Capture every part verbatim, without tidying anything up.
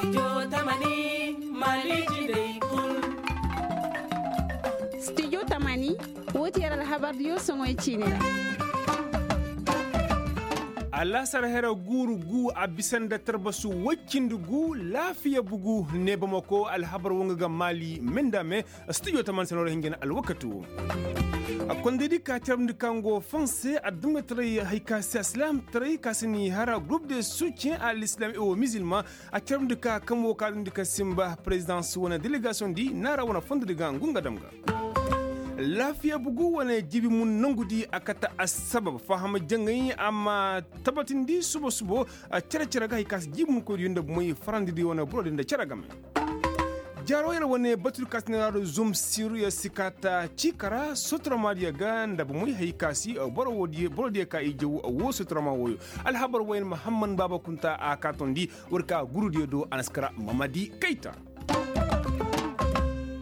Studio tamani, woo ti yer alhabardiyo soŋoy ciini ra. Alaasar hera guuru gu a bisa nda tarbasu woy cindi gu laafiya bugu neebamako alhabar wo nga ga maali me nda me. Studio tamani se no ra hinja na alwakati wo. Kondaydi ka carabndi ka ngo fonse adduɲɲataray hay ka se asilaamtaray ka se ni hara gurup de succien a lisilaam e wo mizilma. A carabndi ka kam wo ka dundi ka simba presidence wane delegasiyoŋ di naara wane fondodi ga ngu nga dam ga. Laafiya bugu wane jibi mun nangudi a kate assabab fahama jaŋay a ma tabatindi subo subo. Cere cere ga hay ka si jibi mun koydiyo nda bumey farandidi wane borodi nda cere game. Jaaro yer wane batudi ka si neera do zom siru yer si ka ta ciika ra sotoramaadiyo ga nda bumey hay ka si borodiyo ka i jaw woo sotorama wooyo. Alhabar wayne mahamman baaba kunta a ka tondi. War ka gurudiyo do a na si kara mamadi kayta.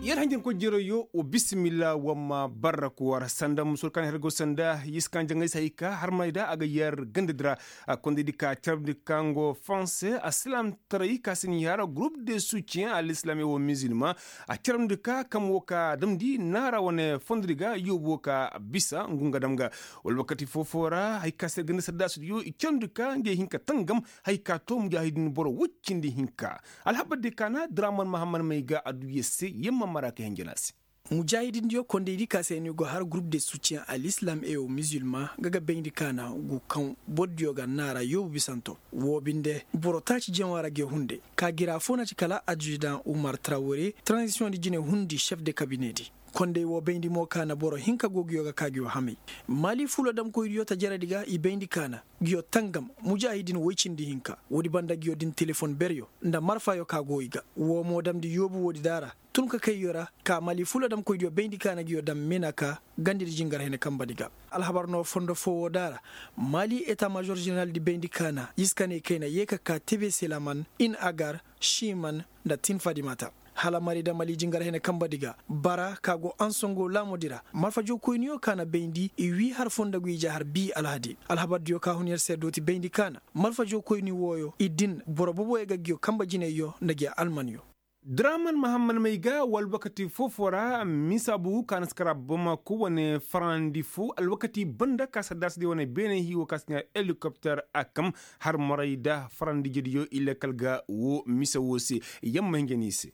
Yer hanjankoy jerayyo wa bisimilla wa ma barra kuwar sanda musur kaŋ her go sanda yiskan jaŋay se hay ka harmay da a ga yer gandadi ra. Kondaydi ka carabndi ka ngo fonse asilaamtaray ka si ni hara gurup de succien a lisilaam e wo mizilma. A carabndi ka kam wo ka damndi naara wane fondodi ga yoobu wo ka bisa ngu nga dam ga. Wala wakati foo-foo ra hay ka se ganda saddaasidiyo i carabndi ka ngey hin ka tangam. Hay ka to mujaahidin boro woy cindi hinka. Alhabar de kaana draman mahamman may ga adduya se yamma mara ka hinjana se. Mujaahidindiyo kondaydi ka se ni go har gurup de succien a lisilaam e wo mizilma ga ga bayndi kaana gu kaŋ bordiyo ga naara yoobu bisanto. Woo binde boro taaci jaŋo ra ga hunde ka gira foo na ci kala adjudan umar trawre transisiyoŋ di jine hundi cef de kabine di. Konday woo bayndi mo kaana boro hinka go nguyo ga ka nguyo hamay. Maali fuula damkoydiyo ta jaradi ga i bayndi kaana nguyo tangam mujaahidin woy cindi hinka woodi banda nguyo din telefon beryo nda marfayo ka go i ga woo mo damndi yoobu woodi daara. Tun ka kayyo ra ka maali fuula damkoydiyo bayndi kaana nguyo dam mena ka gandidi jingar hene kambadi ga. Alhabar no fondo foo woo daara maali eta mažor ženeraldi bayndi kaana iskane kayna yee ka ka tebe selaman in agar šiman nda tin fadimata. Hala mari da mali jingar hene kambadi ga bara ka go ansongo laamudi ra malfajookoyniyo ka na bayndi i wii har foo nda go ije har bii alhadi alhabardiyo ka hun yer se dooti bayndi ka na malfajookoyni wooyo i din boro boboyo ga nguyo kamba jinayyo nda nguyo almanyo. Draman mahamman may ga wa alwakati foo-foo ra misaabu ka na si kara bamako wane farandi foo alwakati banda ka saddaasidiyo wane beene hiiwo ka si ɲaa helikopter a kam har moray da farandijediyo i lakkal ga woo mise woo se. Yamma hinja ni i se.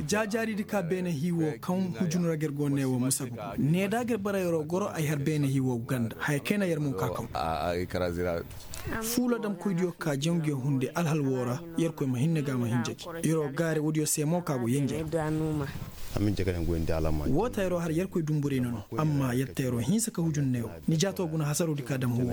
Jaajaaridi ka beene hii woo kaŋ hujun ra ga yer go ne woo musabu ne da ga yer bara yeroo goro ay har beene hii woo ganda haya kayna yer mo ka kaŋ. Fuula damkoydiyo ka jaŋ nguyo hunde alhal woo ra yerkoy ma hinne ga ma hinja gi yeroo gaare woodiyo se mo ka go yenjey. Woo ta yeroo har yerkoy dumburey no no amma yer ta yeroo hinsa ka hujun ne woo. Ni jaatoo guna hasaroo di ka dam huwoo.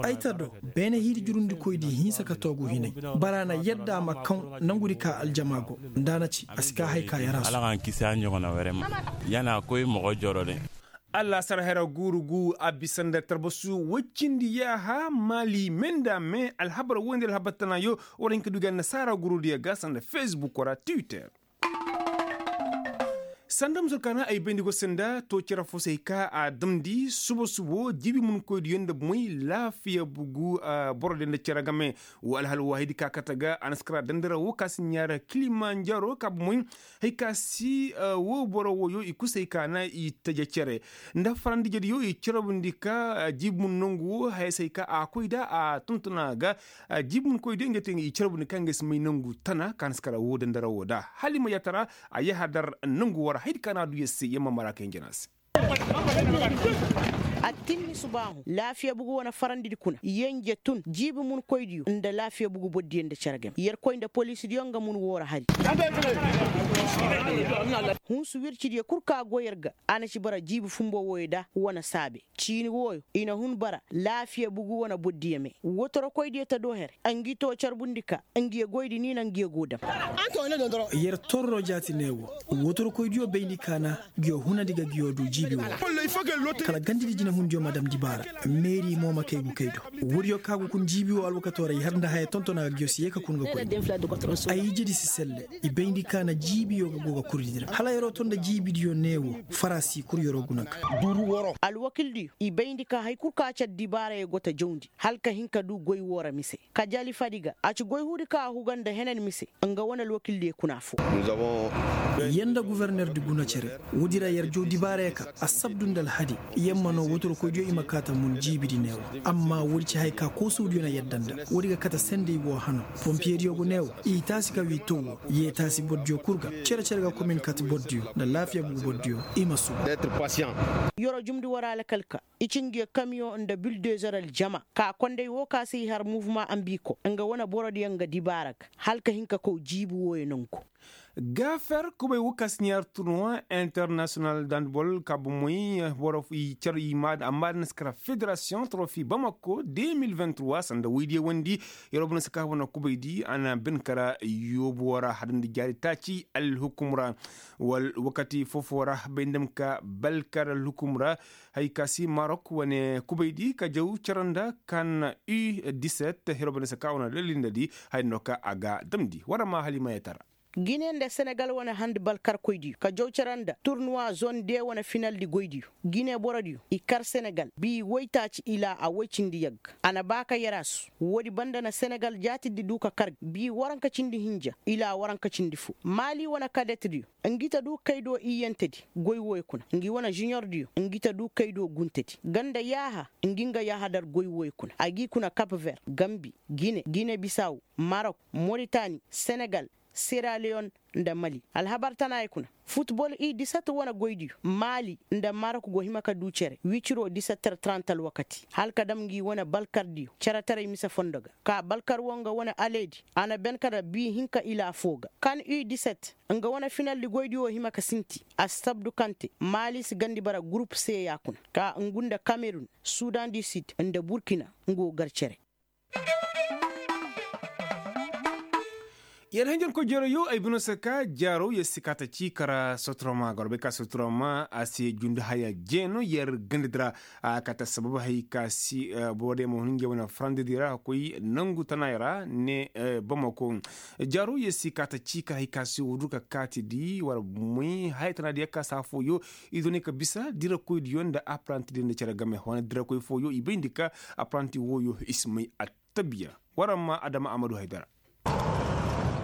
Ay ta do beene hiidi jurundikoy di hinsa ka toogu hinay. Bara na yadda a ma kaŋ nangudi ka aljama go nda a na ci a si ka hay ka yar a su. Alla xa n kisi a ɲogona werema. Yana koy moxo joro de. Alla sara hera guuru gu a bisa nda tarbasu woy cindi yaaha maali me nda me alhabar woy nda alhabar tanayo. War hin ka du ga nasaara guurudiyo ga sanda fesbuk ra twitter. Sanda musur kaana ay bayndi go se nda to cere fo se hay ka a damndi suba subo jiibi munkoydiyo nda bomoy laafiya bugu. Borodiyo nda cere game. Woo alhal waahidi ka kate ga a na si kara dandara woo ka si ɲaara kilimanjaro ka bomoy. Hay ka si woo boro wooyo i kusa hay ka na i taje cere nda farandijediyo i carabndi ka jiibi mun nongu woo haya se hay ka a koy nda a tontona ga. Jiibi mun koydiyo ngey te i carabndi ka ngey si may nongu tana ka na si kara woo dandara woo nda hala i ma yaatara. A yahadar nongu woo ra haydi ka na a du yer se yer ma mara ka hinja na a se. A tinni subaahu laafiya bugu wane farandidi kuna yenje tun jiibi munkoydiyo nda laafiya bugu bordiyo nda cere game yerkoy nda poliisidiyo nga mun woo ra hari. Hunsu wircidiyo kul ka go yer ga a na ci bara jiibi fumbo wooyo da wane saabe. Ciini wooyo i na hun bara laafiya bugu wane bordiyo me wotorokoydiyo ta do here. Ngi too carbundi ka ngiyo goydi ni na ngiyo go dam. Yer torro jaati ne wo wotorokoydiyo bayndi ka na ngiyo hunandi ga ngiyo du jiibi woo. Kala gandidi jine hundi. Yo ma dam dibaara. Meeri mo ma kay gu kay do. Woodiyo ka gu kun jiibi wo alwakatoo ra i har nda haya tonton a ga giyo si ye ka kun ga koy. Ay ijedi si selle. I bayndi ka na jiibiyo ga go ga kurdi dira hala yeroo to nda jiibidiyo neewo. Faraasi kul yeroo guna ga. Alwakildiyo i bayndi ka hari kul ka car dibaarayo go ta jawndi hala ka hin ka du goy woo ra mise. Ka jali fadi ga a ci goy huudi ka a huga nda henan mise. Nga wane alwakildiyo kuna foo. Yer nda guvernerdi guna cere. Woodi ra yer jaw dibaaraya ka assabdu nda alhadi. Yer ma noo wotorkoydiyo i ma kaa ta mun jiibidi neewo. Amma woodi ci haya ka koosowdiyo na yadda nda woodi ga kate sendey woo hano. Pompiyediyo go neewo i taasi ka wii too woo yee taasi bordiyo kul ga. Cere cere ga komin kate bordiyo nda laafiya bugu bordiyo. I ma suba. Yeroo jumndi woo ra alkal ka i ci ngi kamiyoŋ nda bildezer aljama ka kondey woo ka se i har muvuma ambiiko nga wane borodiyo nga dibaara ga hala ka hin ka kow jiibi wooyo nongu. Gaafer kubay woo ka si ɲaar turnuwa internasiyonal dandbol ka bomoy boro i car i maada amma da na si kara federasiyoŋ torofi bamako de mil vingt trois sanda woydiyo wandi. Yeroo boro na si ka wane kubaydi a na ben kara yoobuwo ra hadandi jaari taaci alhukum ra. Wal wakati foo-foo ra bay nda ma ka balkar alhukum ra. Hay ka si marok wane kubaydi ka jaw cere nda kan u diset hiro bane saka wane lallindadi. Hay no ka a ga damndi war ma hali ma yatara. Gine nda senegal wane handi balkarkoydiyo ka jaw cere nda turnuwa zone de wane finaldi goydiyo. Gine borodiyo i kar senegal bii woytaaci ilaa a woy cindi yagga. A na ba ka yarasu woodi banda na senegal jaatirdi du ka kar bii waranka cindi hinja ilaa waranka cindi foo maali wane kadetdiyo. Ngi ta du kay do iyyantedi goy wooyo kuna ngi wane juniordiyo ngi ta du kay do guntedi ganda yaaha. Ngi nga yaaha dar goy wooyo kuna a g'i kuna kap ver gambi gine gine bisaw marok moritani senegal sera leyon nda mali alhabar tanaayey kuna. Futbol i disat wane goydiyo maali nda marok go hima ka du cere wiciro disetter trant alwakati hala ka dam ngi wane balkardiyo ceretaray mise fondo ga. Ka balkar wo nga wane aledi a na ben ka da bii hinka ila foo ga kan u diset nga wane finaldi goydi wo hima ka sinti. Assabdu kaŋ te maali si gandi bara gurup se ya kuna ka ngu nda kamerun sudan du sid nda burkina. Nga wo gar cere. Yer hanjankoy jeeroo yoo ay bino se ka jaaroo yer si kaa ta cii kara sotoroma goro bay ka sotoroma a se jundi haya jeeno yer gandadi ra. A kaa ta sabab hay ka si boro diyo ma hun nge wane farandidi ra koy nangu tanaayoo ra ne. Bamako jaaroo yer si kaa ta cii kara hay ka si woo du ka kaati di war moy haya tanaadiyo ka saa fooyoo. I doonay ka bisa dirakoydiyo nda aparantidiyo nda cere game wane dirakoy fooyoo i bayndi ka aparanti wooyoo i si may attabiya. War ma adama amadu haydara.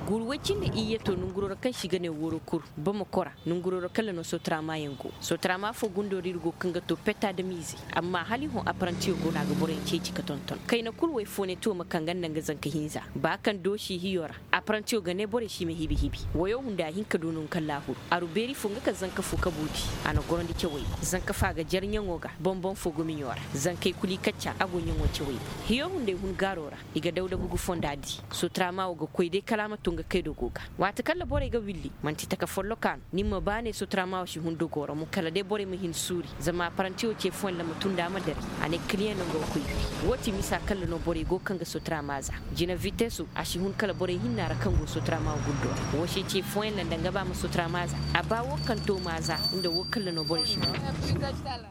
Guuru woy cindi iyye to nanguroo ra kaŋ se i ga ne wooro kul bamako ra. Nanguroo ra kala no sotarama yaŋ go sotarama foo gundoo ra ir go kaŋ ga to pet adamize. Amma hala i hõ aparantiyo go no a ga boroyaŋ ceeci ka tonton kayna kul woy foo ne to ma kaŋ ga nda nga zanka hinza ba kaŋ doosi hiyo ra. Aparantiyo ga ne borey si ma hibi hibi. Woyo hunda a hin ka du no nga kaŋ laahuru aru beeri foo nga kaŋ zanka foo kabu di. A na gorandi cawey boŋ zanka foo a ga jar ɲaŋo ga boŋ-boŋ foo go miɲo ra. Zankey kul i kacca a go ɲaŋo cawey boŋ hiyo hunday hun gaaro ra. I ga dawda gugu fonda di. Sotarama wo ga koy day kala a ma to nga kaydo go ga. Waati kaŋ ra borey ga willi manti taka folloka no ni ma ba ne sotarama wo si hun dogoo ra mo kala day borey ma hin suuri. Zama aparantiyo ce fooyaŋ ra ma tun nda a ma dare. A ne kiliyaŋ no nga ga koy wiri. Woo ti misa kaŋ ra no borey go kaŋ ga sotarama za. Jina vitesu a si hun kala borey hinna ra kaŋ go sotarama wo gundoo ra woo se ce fooyaŋ ra nda nga ba ma sotarama za. A ba woo kaŋ to ma za. Nda woo kaŋ ra no borey si hun.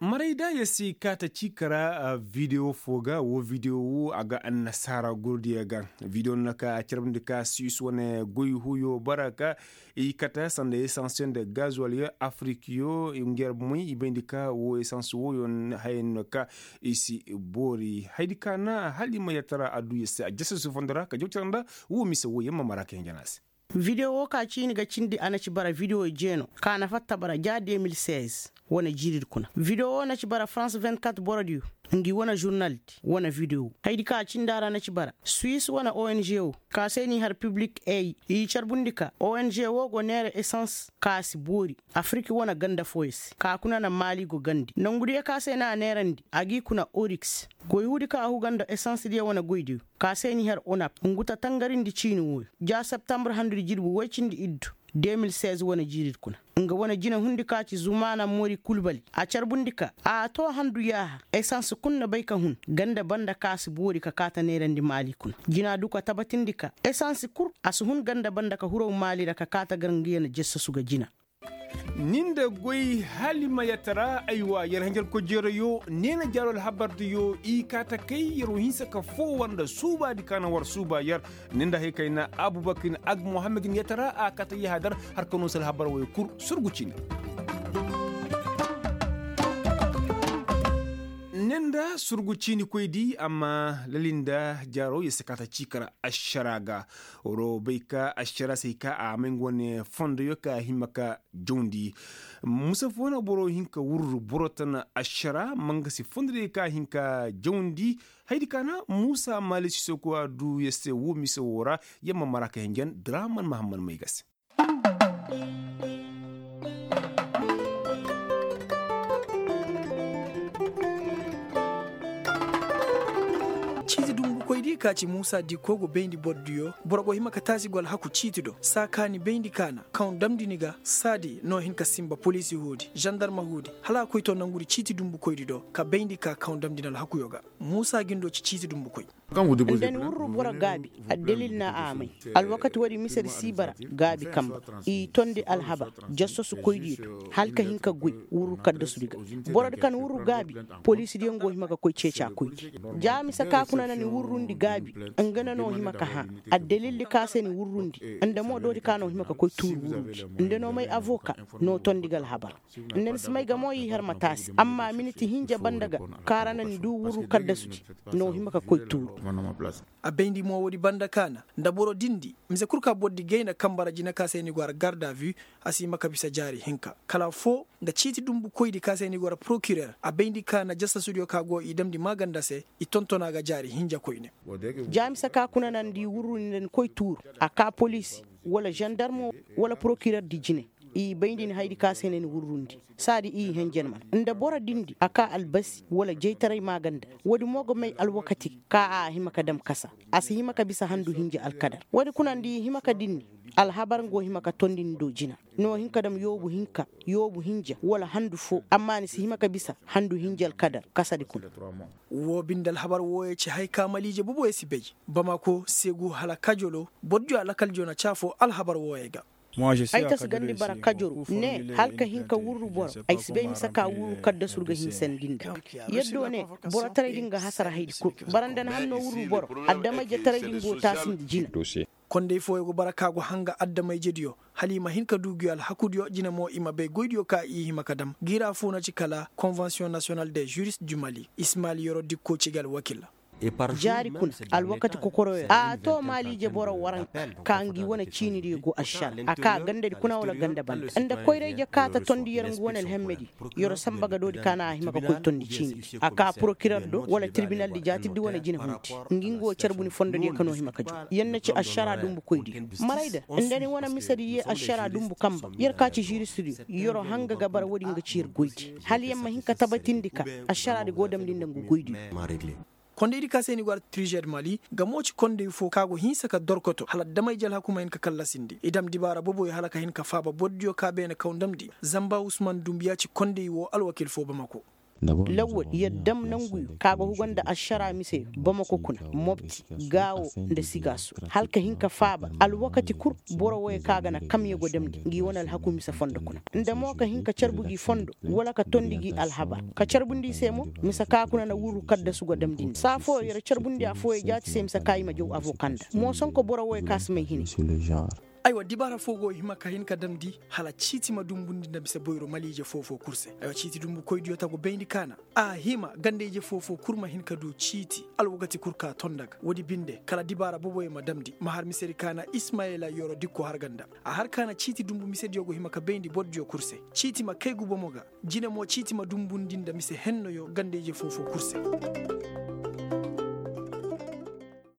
Maray da ya si kaata ciika ra. Videwo foo ga woo videwo woo a ga annasaara gurdiyo ga. Videwo no ka a carbundi ka suwis wane goy huyo bara ka i kata sanda esansiyo nda gazuwalyo afirikyo ngeer moy i bayndi ka woo esans wooyo. Hayey no ka i si boori haydi ka na hala i ma yatara adduya se a jasa si fondo ra ka jaw cara nda woo mise wooyo ma mara ka hinja no a se. Videwo ka ciini ga cindi a na ci bara videwo jeeno ka na fatta bara ja de mil seize. Wane jiiridi kuna videwo na ci bara farans vingt-quatre borodiyo. Ngi wane žurnaldi wane videwo haydi ka cindi a ra na ci bara suwis wane ong wo ka se n'i har piblik ey i carbundi ka ong wo go neera esans ka si boori. Afirik wane ganda fooyo se ka kuna na maali go gandi nongudiyo ka se no a neerandi a g'i kuna oriks. Goy huudi ka a huga nda esansdiyo wane goydiyo ka se n'i har onap ngu ta tangarindi ciini wooyo ja septambur handudi jirbi woy cindi iddu. De mil seize wane jiiridi kuna nga wane jina hundi ka ci zumaana moori kulbali a carbundi ka a too handu yaaha esans kul na bay ka hun ganda banda ka si boori ka kaata neerandi maali kuna jina du ka tabatindi ka esans kul a si hun ganda banda ka huraw maali ra ka kaata gar nga yana jassasu ga jina. Ni nda goy halima yatara aywa yer hanjarkoy jeerayo neena jaaro alhabardiyo i kaa takay yer wo hinsa ka foo war nda suubaadi ka na war suuba yer. Ni nda hay kayna abubakar ag muhammad ni yatara a kaa ta yahadar har ka noo se alhabar woy kul surgu ciini. Ni nda surgu ciini koydi amma lali nda jaaro yer si kaa ta ciikara ašara ga. War wo bay ka ašara se hay ka a may nga wane fondoyo ka a hima ka jawndi. Musa foo na boro hin ka wurru boro tana ašara mangasi fondodiyo ka a hin ka jawndi. Haydi ka na muusa maali sisoku a duu yer se woo mise woo ra. Yer ma mara ka hinjan draman mahammad may ga se. Ciiti dumbukoydi ka ci muusa dikko go bayndi bordiyo boro go hima ka taasi go alhaku ciiti do saa ka ni bayndi ka na kaŋ damndi ni ga saadi no hin ka sinba poliisi huudi zandarma huudi hala a koy to nangudi ciiti dumbukoydi do ka bayndi ka kaŋ damndi ni alhakuyo ga. Muusa gindo ci ciiti dumbukoy. Nda ni wurru boro gaabi addalil na a may. Alwakati woodi misedi sii bara gaabi kamba i tondi alhabar jassosukoydiyo do hala ka hin ka goy wurru kaddasudi ga. Borodi ka ni wurru gaabi poliisidiyo nga wo hima ka koy ceecaakoydi. Ja mise ka kuna na ni wurrundi gaabi nga na no hima ka hã addalildi ka se ni wurrundi. Nda mo doodi ka no hima ka koy tuuru wurrundi nda no may avoka no tondi ga alhabar. Nda ni si may ga mo i har ma taasi amma miniti hinja banda ga kaara na ni duu wurru kaddasudi no hima ka koy tuuru. A bayndi mo woodi banda ka na nda boro dindi mise kul ka bordi gayna kamba ra jina ka se ni go har garda vu. A si hima ka bisa jaari hinka kala affoo nda ciiti dumbukoydi ka se ni go har porokirer a bayndi ka na jasasudiyo ka go i damndi maaganda se. I tonton a ga jaari hinja koyne. Ja mise ka kuna na ni dii wurru ni nda ni koy tuuru a kaa poliisi wala zandarmo wala porokirer di jine. I bayndi ni haydi ka se na ni wurrundi saadi i henjen man nda boro dindi a kaa albasi wala jaytaray maaganda. Woodi mo ga may alwakati ka a hima ka dam kasa a si hima ka bisa handu hinja alkadar woodi kuna nda i hima ka dinni. Alhabar nga wo hima ka tondi ni do jina ni wo hin ka dam yoobu hinka yoobu hinja wala handu foo amma ni si hima ka bisa handu hinja alkadar kasadi kuna. Woo binde alhabar wooyo ci haya ka maliije boboyo si bay bamako segu hala kajolo bordiyo alakal jona caafoo alhabar wooyo ga. Ay ta si gandi bara kajoro ne hala ka hin ka wurru boro. Ay si bay mise ka wurru kaddasur ga hinsandi nda. Yaddo ne borotaray din ga hasara haydi kul. Bara nda ni hannoo wurru boro addamayjetaray din go taasindi jina. Kondey fooyo go bara ka go hanga addamayjediyo hala i ma hin ka duu nguyo alhakudiyo jina mo i ma bay goydiyo ka i hima ka dam ngi ra foo na ci kala konvensiyoŋ nasiyonal de jurist du mali ismaali yoro dikko ci ga alwakil. Jaari kuna alwakati kokoroyo a too maaliije boro waranka ka ngi wane ciinidiyo go ašara a kaa gandadi kuna wala ganda banda nda koyrayje ka ta tondi yer ngu wane alhemmedi. Yer samba ga doodi ka na a hima ka koy tondi ciinidi a kaa porokirer do wala tirbinaldi jaatirdi wane jina hundi. Ngi ngu wo carbundi fondodiyo ka no hima ka jum yer na ci ašara dumbukoydiyo. Marayda nda ni wane misedi yee ašara dumbu kamba yer ka ci žiristidiyo yer hanga ga bara woodi nga ci yer goydi hala yer ma hin ka tabatindi ka ašaraadi go damndi nda ngu goydiyo. Kondaydi ka se ni go ara trijed mali nga mo ci konday fo ka go hinsa ka dorkoto hala adamay jalhaku ma hin ka kallasindi i dam dibaara boboyo hala ka hin ka faaba bordiyo ka beene kaw ndamndi. Zamba usman dumbiya ci konday woo alwakil fo bamako. Lawwal yer dam nanguyo ka go huga nda ašara miseyo bamako kuna mopti gaawo nda sigaaso hala ka hin ka faaba alwakati kul. Boro wooyo ka ga na kamyo go damndi ngi wane alhaku mise fondo kuna nda mo ka hin ka carbu gi fondo wala ka tondi gi alhabar ka carbundi i se mo. Mise ka kuna na wurru kaddasu go damndi nda saa fooyo yer carbundi affooyo jaati se mise ka i ma jaw avoka nda moosonko boro wooyo ka si may hini. Aywa dibaara foo go hima ka hin ka damndi hala ciiti ma dumbundi nda mise boyro maliije foo-foo kul se. Aywa ciiti dumbukoydiyo ta go bayndi ka na a hima ganda-ije foo-foo kul ma hin ka duu ciiti alwakati kul ka tonda ga woodi binde kala dibaara boboyo ma damndi ma har misedi ka na ismayila yoro dikko har ga nda. A har ka na ciiti dumbu misediyo go hima ka bayndi bordiyo kul se. Ciiti ma kay gubomo ga jine mo ciiti ma dumbundi nda mise hennoyo ganda-ije foo-foo kul se.